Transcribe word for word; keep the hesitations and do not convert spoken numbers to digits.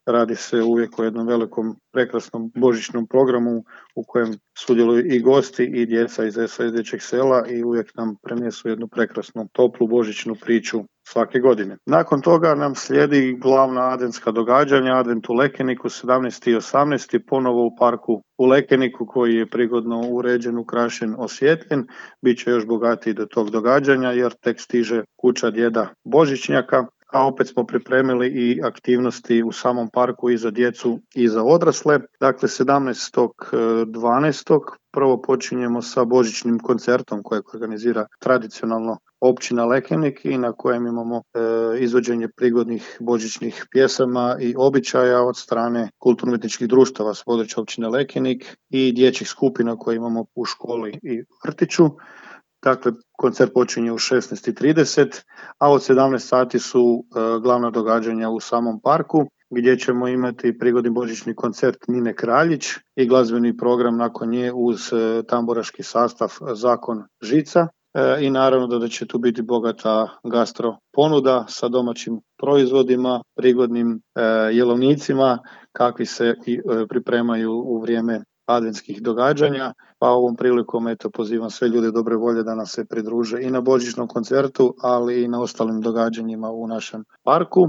radi se uvijek o jednom velikom, prekrasnom božićnom programu u kojem sudjeluju i gosti i djeca iz S O S Dječjeg sela i uvijek nam prenesu jednu prekrasnu, toplu božićnu priču svake godine. Nakon toga nam slijedi glavna adventska događanja, advent u Lekeniku, sedamnaesti i osamnaesti ponovo u parku u Lekeniku koji je prigodno uređen, ukrašen, osvjetljen. Biće još bogatiji do tog događanja jer tek stiže kuća djeda Božićnjaka, a opet smo pripremili i aktivnosti u samom parku i za djecu i za odrasle. Dakle, sedamnaestog dvanaestog prvo počinjemo sa božićnim koncertom kojeg organizira tradicionalno općina Lekenik i na kojem imamo e, izvođenje prigodnih božićnih pjesama i običaja od strane kulturno-umjetničkih društava s područja općine Lekenik i dječjih skupina koje imamo u školi i vrtiću. Dakle, koncert počinje u šesnaest i trideset, a od sedamnaest sati su e, glavna događanja u samom parku, gdje ćemo imati prigodni božićni koncert Nine Kraljić i glazbeni program nakon nje uz e, tamburaški sastav Zakon Žica. E, I naravno da, da će tu biti bogata gastro ponuda sa domaćim proizvodima, prigodnim e, jelovnicima, kakvi se i e, pripremaju u vrijeme adventskih događanja, pa ovom prilikom eto pozivam sve ljude dobre volje da nam se pridruže i na božićnom koncertu, ali i na ostalim događanjima u našem parku.